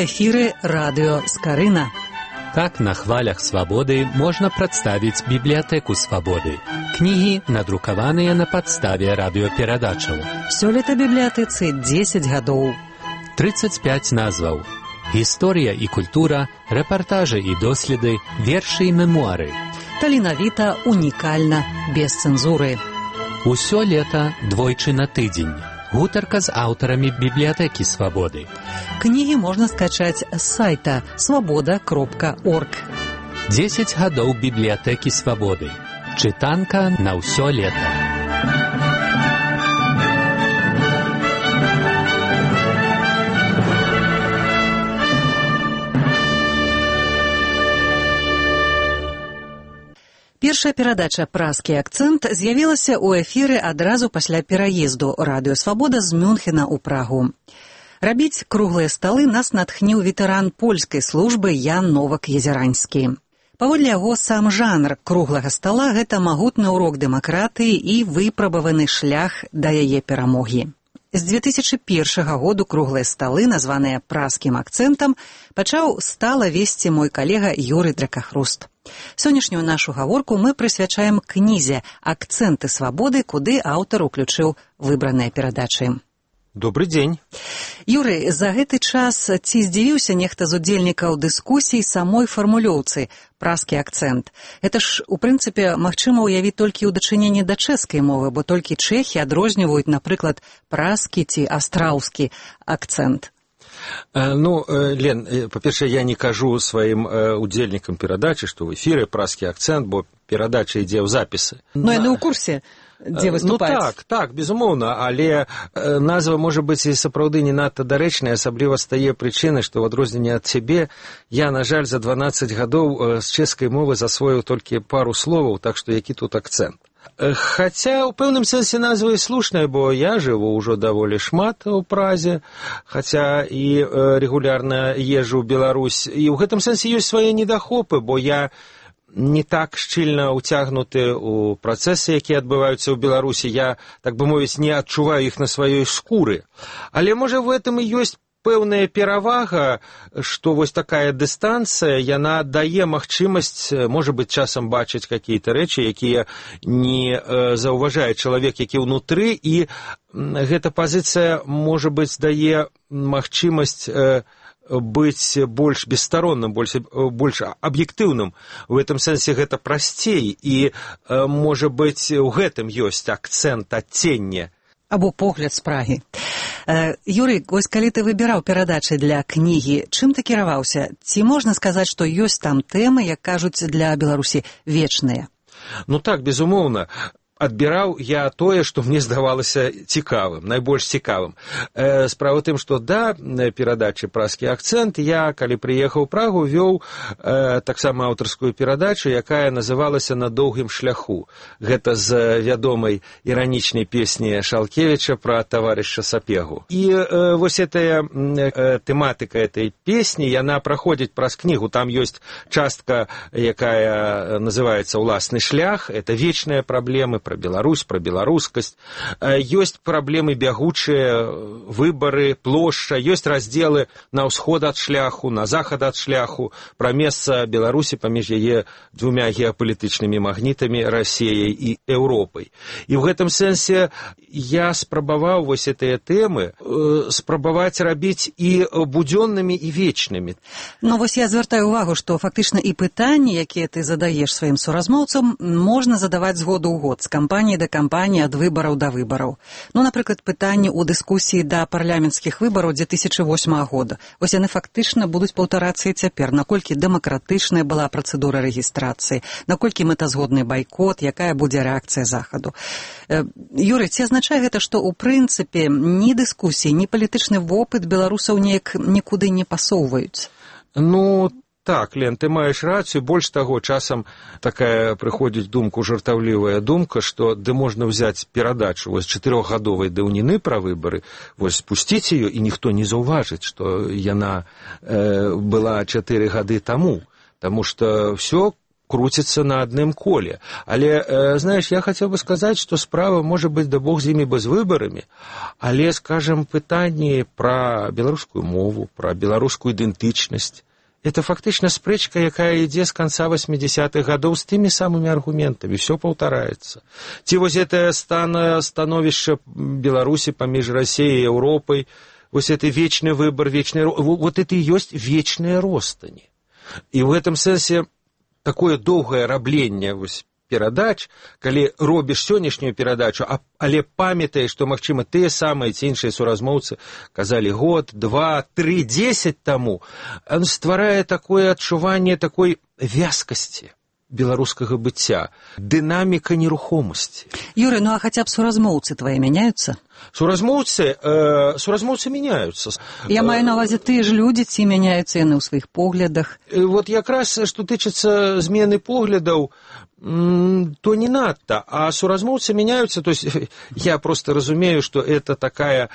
эфіры радыё Скарына. Так на хвалях свабоды можна прадставіць бібліятэку свабоды. Кнігі, надрукаваныя на падставе радыёперадачаў. Сёлета бібліятэцы 10 гадоў. 35 назваў. Гісторыя і культура, рэпартажы і доследы, вершы і мемуары. Таленавіта, унікальна, без цэнзуры. Усё лета двойчы на тыдзень. Гутарка з аўтарамі бібліятэкі свабоды. Кнігі можна скачаць з сайта свабода.орг. 10 гадоў бібліятэкі свабоды. Чытанка на ўсё лета. Першая перадача «Празкі акцэнт» з'явілася ў эфіры адразу пасля пераезду радыё «Свабода» з Мюнхена ў Прагу. Рабіць круглыя сталы нас натхніў ветэран польскай службы Ян Новак-Езеранскі. Паводле яго, сам жанр круглага стала – гэта магутны ўрок дэмакратыі і выпрабаваны шлях да яе перамогі. З 2001 году круглыя сталы, названыя «Празкім акцэнтам», пачаў стала весці мой калега Юрый Дракахруст. Сённяшнюю нашу гаворку мы прысвячаем кнізе «Акцэнты свабоды», куды аўтар уключыў выбраныя перадачы. Добрый дзень. Юрый, за гэты час ці здзівіўся нехта з удзельнікаў дыскусій самой фармулёўцы «Празкі акцэнт»? Гэта ж, у прынцыпе, магчыма ўявіць толькі ў дачыненні да чэшскай мовы, бо толькі чэхі адрозніваюць, напрыклад, празкі ці астраўскі акцэнт. Лен, па-першае, я не кажу сваім удзельнікам перадачы, што ў эфіры празкі акцэнт, бо перадача ідзе ў запісы. Но яны ў курсе, дзе выступаюць. Так, безумоўна, але назва можа быць і сапраўды не надта дарэчная, асабліва з тае прычыны, што ў адрозненне ад цябе я, на жаль, за 12 гадоў з чэшскай мовы засвоіў толькі пару словаў, так што які тут акцэнт. Хаця ў пэўным сэнсе назва і слушная, бо я жыву ўжо даволі шмат у Празе, хаця і рэгулярна езджу ў Беларусь, і ў гэтым сэнсе ёсць свае недахопы, бо я не так шчыльна ўцягнуты ў працэсы, якія адбываюцца ў Беларусі, я, так бы мовіць, не адчуваю іх на сваёй скуры. Але, можа, в этом і ёсць пэўная перавага, што вось такая дыстанцыя, яна дае магчымасць, можа быць, часам бачыць какие-то рэчы, якія не заўважае чалавек, які ўнутры, і гэта пазіцыя, можа быць, дае магчымасць быць больш бесстаронным, больш аб'ектыўным. У гэтым сэнсе гэта прасцей, і, можа быць, у гэтым ёсць акцэнт, адценне. Або погляд з Прагі. Юрый, вось калі ты выбіраў перадачы для кнігі, чым ты кіраваўся? Ці можна сказаць, што ёсць там тэмы, як кажуць, для Беларусі вечныя? Так, безумоўна. Адбіраў я тое, што мне здавалася цікавым, найбольш цікавым. Справа ў тым, што да перадачы «Празкі акцэнт» я, калі прыехаў у Прагу, вёў таксама аўтарскую перадачу, якая называлася «На доўгім шляху». Гэта з вядомай іранічнай песні Шалкевіча пра таварыша Сапегу. І вось гэтая тэматыка этой песні, яна праходзіць праз кнігу. Там ёсць частка, якая называецца «Уласны шлях». Это вечныя праблемы, про Беларусь, про беларускасць. Ёсць праблемы бягучыя, выбары, плошча, ёсць раздзелы на ўсход ад шляху, на захад ад шляху, пра месца Беларусі паміж яе двумя геапалітычнымі магнітамі, Расіяй і Еўропай. І ў гэтым сэнсе я спрабаваў вось гэтыя тэмы спрабаваць рабіць і будзённымі, і вечнымі. Вось я звяртаю ўвагу, што фактычна і пытанні, якія ты задаеш сваім суразмоўцам, можна задаваць з году ў год, з кампаніі да кампаніі, ад выбараў да выбараў. Напрыклад, пытанні ў дыскусіі да парламенцкіх выбараў 2008 года. Вось яны фактычна будуць паўтарацца і цяпер. Наколькі дэмакратычная была працэдура рэгістрацыі, наколькі мэтазгодны байкот, якая будзе рэакцыя захаду. Юрый, ці азначае гэта, што ў прынцыпе ні дыскусіі, ні палітычны вопыт беларусаў неяк нікуды не пасоўваюць? Так, Лен, ты маеш рацыю. Больш таго, часам такая прыходзіць думку, жартаўлівая думка, што можна ўзяць перадачу вось 4-гадовай даўніны пра выбары, вось спусціць ее, і ніхто не заўважыць, што яна была 4 гады таму. Таму што ўсё круціцца на адным коле. Але, знаеш, я хацеў бы сказаць, што справа можа быць, да бог з імі без выбарамі, але, скажам, пытанні пра беларускую мову, пра беларускую ідэнтычнасць, это фактычна спрэчка, якая ідзе з канца 80-х гадоў з тымі самымі аргументамі, все паўтараецца. Ці вось гэтае становішча Беларусі паміж Расіяй і Еўропай, вось это вечны выбар, вот это і ёсць вечныя ростані. І ў гэтым сэнсе такое доўгае рабленне вось перадач, калі робіш сённяшнюю перадачу, але памятаеш, што, магчыма, тыя самыя ці іншыя суразмоўцы казалі год, 2, 3, 10 таму, стварае такое адчуванне такой вязкасці беларускага быцця, дынаміка нерухомасці. Юрий, ну а хотя бы суразмоўцы твои меняются? Суразмоўцы меняются. Я маю на ўвазе, тыя ж людзі, ці мяняюцца яны ў сваіх поглядах? Вот якраз, што тычыцца змены поглядаў, то не надто, а суразмоўцы меняются, то есть я просто разумею, что это такая,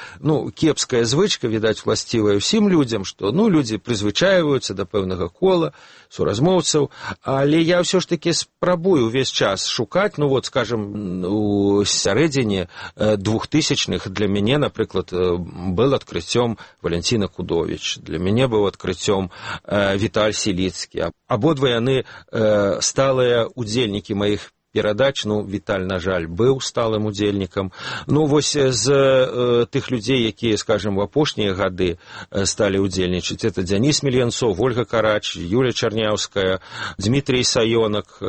кепская звычка, видать, властивая всем людям, что, люди призвычаиваются до пэўнага кола суразмоўцаў, але я все ж таки спрабую увесь час шукаць, скажем, у сярэдзіне 2000-х для мяне, напрыклад, был адкрыццём Валентина Кудович, для мяне быў адкрыццём Віталь Сіліцкі. Абодва яны сталыя удзельнікі моих перадач, Віталь, на жаль, быў сталым удзельнікам. Вось з тых людзей, якія, скажем, в апошнія гады сталі удзельнічаць, это Дзяніс Мельянцов, Ольга Карач, Юля Чарняўская, Дмітрий Саёнак,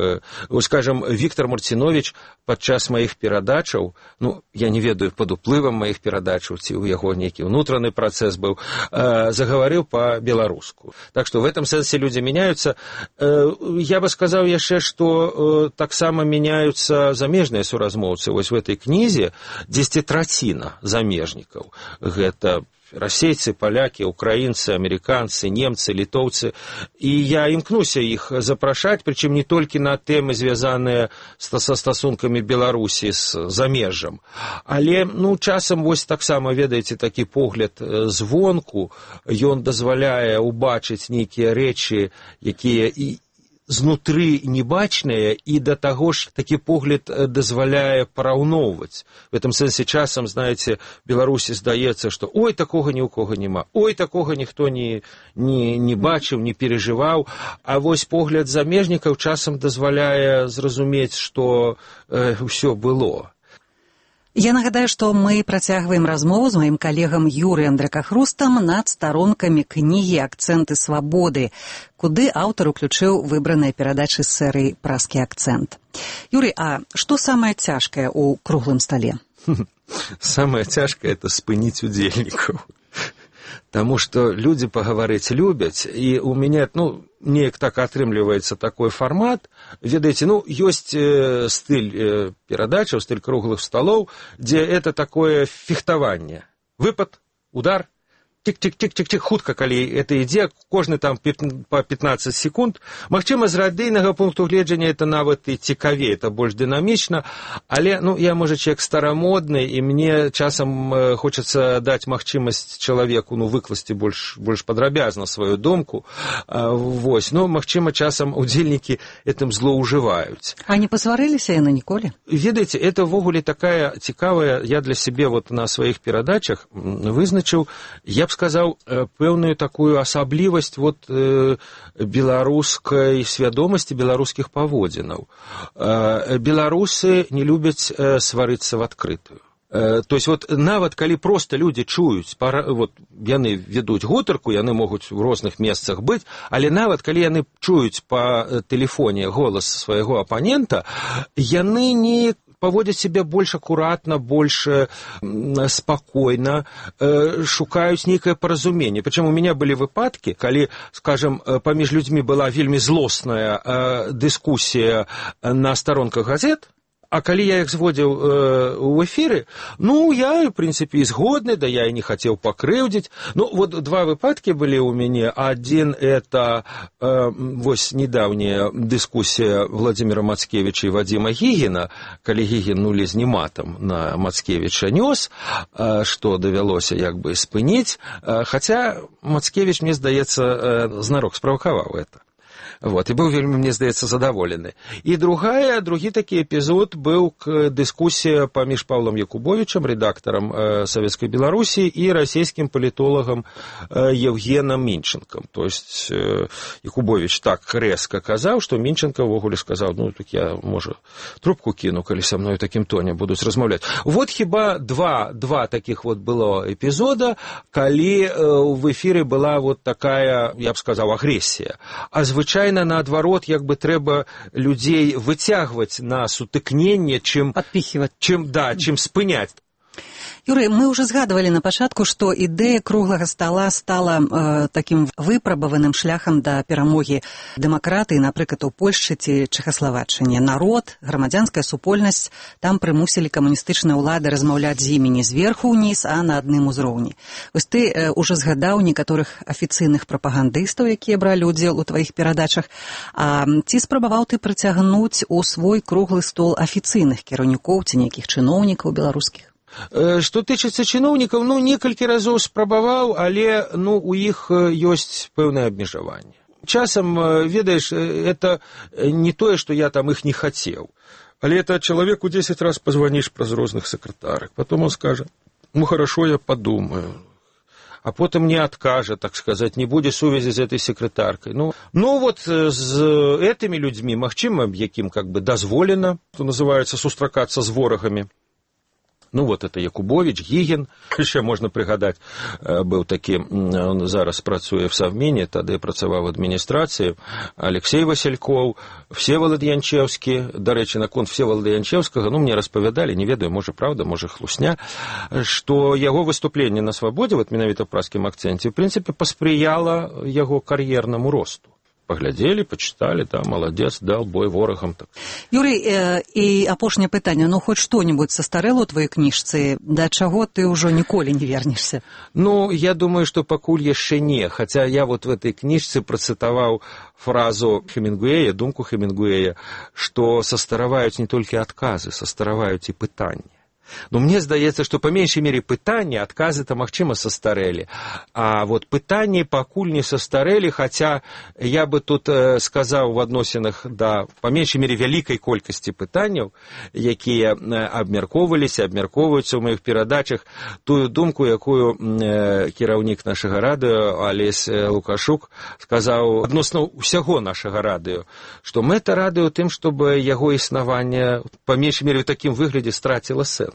скажем, Віктор Марцінович падчас маіх перадачаў, я не ведаю, пад уплывам маіх перадачаў, ці ў яго нейкі ўнутраны працэс быў, загаварыў па-беларуску. Так што в этом сэнсе людзі меняются. Я бы сказаў яшчэ, што таксама меняются замежныя суразмоўцы. Вось в этой кнізе 10% замежнікаў. Гэта расейцы, палякі, украінцы, амерыканцы, немцы, літоўцы. І я імкнуся іх запрашаць, прычым не толькі на тэмы, звязаныя са стасункамі Беларусі з замежжам. Але, часам вось таксама, ведаеце, такі погляд звонку, ён дазваляе убачыць нейкія рэчы, якія і знутры небачныя, і да таго ж такі погляд дазваляе параўноўваць. В этом сэнсе часам, знаеце, Беларусі здаецца, што ой, такога ні ў кого няма, ой, такога ніхто не бачыў, не перажываў, а вось погляд замежнікаў часам дазваляе зразумець, што ўсё было. Я нагадаю, што мы працягваем размову з маім калегам Юрыем Дракахрустам над старонкамі кнігі «Акцэнты свабоды», куды аўтар уключыў выбраныя перадачы з серыі «Праскі акцэнт». Юрий, а што самае цяжкае ў круглым стале? Самае цяжкае – это спыніць удзельнікаў. Таму што людзі пагаварыць любяць, і у мяне, неяк так атрымліваецца такой фармат. Ведаеце, ёсць стыль перадачаў, стыль круглых сталоў, дзе это такое фехтаванне. Выпад, удар, тик-тик-тик-тик-тик, хутка, калі это ідзе, кожны там па 15 секунд. Магчыма, з радыйнага пункту гледжання это нават і цікавей, это больш дынамічна, але, я, можа, чалавек старамодны, і мне часам хочацца даць магчымасць чалавеку, выкласці больш падрабязна сваю думку. Вось, магчыма, часам удзельнікі гэтым злоўжываюць. А не пасварыліся яны ніколі? Ведаеце, это ввогуле такая цікавая, я для сябе на сваіх перадачах вызначыў, я б сказаў, пэўную такую асаблівасць беларускай свядомасці, беларускіх паводзінаў. Беларусы не любяць сварыцца в адкрытую. То есть нават калі проста людзі чуюць, яны ведуць гутарку, яны могуць у розных месцах быць, але нават калі яны чуюць па тэлефоне голас свайго апанента, яны не паводзяць сябе больш акуратна, больш спакойна, шукаюць нейкае паразуменне. Прычым у мяне былі выпадкі, калі, скажем, паміж людзьмі была вельмі злосная дыскусія на старонках газет, а калі я іх зводзіў у эфіры, я, в прынцыпе, і згодны, да я і не хацеў пакрыўдзіць. Два выпадкі былі ў мяне. Адзін – это вось недаўняя дыскусія Владзіміра Мацкевіча і Вадзіма Гігіна, калі Гігін лезні матам на Мацкевіча нёс, што давялося як бы спыніць. Хаця Мацкевіч, мне здаецца, знарок справакаваў гэта. Вот, і быў вельмі, мне здаецца, задаволены. І другі такі эпізод быў дыскусія паміж Павлом Якубовичам, рэдактарам Савецкай Беларусі, і расійскім палітолагам Евгеном Минченком. То есть Якубович так рэзка казаў, што Минченко ўвогуле сказаў, ну, так я, можа, трубку кіну, калі са мной такім тоне будуць размаўляць. Вот хіба два таких вот было эпізода, калі в эфіры была вот такая, я б сказаў, агрэсія. А звычайна, наадварот, як бы трэба людзей выцягваць на сутыкненне, чым спыняць. Юрый, мы уже згадывали на пачатку, што ідэя круглага стола стала таким выпрабаваным шляхам да перамогі дэмакратыі, напрыклад, у Польшчы ці Чэхаславаччыне. Народ, грамадзянская супольнасць там прымусілі камуністычныя ўлады размаўляць з імі не зверху ўніз, а на адным узроўні. Вось ты уже згадаў некаторых афіцыйных прапагандыстаў, якія бралі ўдзел у тваіх перадачах. А ці спрабаваў ты прыцягнуць у свой круглы стол афіцыйных кіраўнікоў ці нейкіх чыноўнікаў беларускіх? Што тычыцца чыноўнікаў, ну, некалькі разоў спрабаваў, але, ну, у іх ёсць пэўнае абмежаванне. Часам, ведаеш, это не тое, што я там іх не хацеў, але это человеку 10 раз позвонишь праз розных сакратарак, потом он скажет, ну, хорошо, я подумаю, а потом не откажет, так сказать, не будет сувязі з этой секретаркой. Ну вот з этими людьми, магчыма, якім как бы дазволена, что называется, сустракацца з ворагамі. Ну, вот это Якубович, Гігін, ще можна пригадати, був такий, он зараз працює в Совміні, тоді працював в адміністрації, Олексій Васильков, Всеволод Янчевський, до речі, на конт Всеволода Янчевського, ну, мені розповідали, не ведаю, може правда, може хлусня, що його виступлення на свободі, от менавіта в праскім акценті, в принципі, посприяло його кар'єрному росту. Поглядели, почитали, да, молодец, дал бой ворогам. Так. Юрий, і апошняе пытанне, ну, хоць што-небудзь састарэло ў твоей кніжцы, да чаго ты ўжо ніколі не вернешься? Ну, я думаю, што пакуль яшчэ не, хаця я вот в этой кніжцы працытаваў фразу Хемінгуэя, думку Хемінгуэя, што састараваюць не толькі адказы, састараваюць і пытанні. Но мне здаецца, што па меншай мере пытанні, адказы-то, магчыма, састарэлі. А вот пытанні пакуль не састарэлі, хаця я бы тут сказаў в адносінах да, па меншай мере, вялікай колькасці пытанняў, якія абмяркоўваліся, абмяркоўваюцца ў маіх перадачах, тую думку, якую кіраўнік нашага радыё Алесь Лукашук сказаў адносна ўсяго нашага радыё, што мэта радыё тым, чтобы яго існаванне па меншай мере ў такім выглядзе страціла сэнс.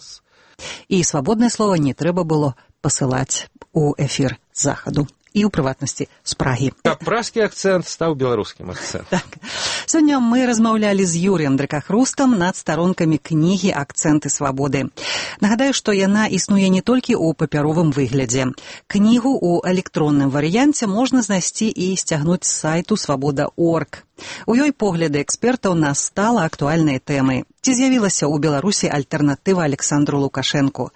І свабоднае слова не трэба было пасылаць у эфір з захаду. І ў прыватнасці з Прагі. Праскі акцэнт стаў беларускім акцэнтам. Так. Сёння мы размаўлялі з Юрыем Дракахрустам над старонкамі кнігі «Акцэнты свабоды». Нагадаю, што яна існуе не толькі ў папяровым выглядзе. Кнігу ў электронным варыянце можна знайсці і сцягнуць з сайту свабода.орг. У ёй погляды экспертаў на стала актуальныя тэмы. Ці з'явілася ў Беларусі альтэрнатыва Александру Лукашэнку?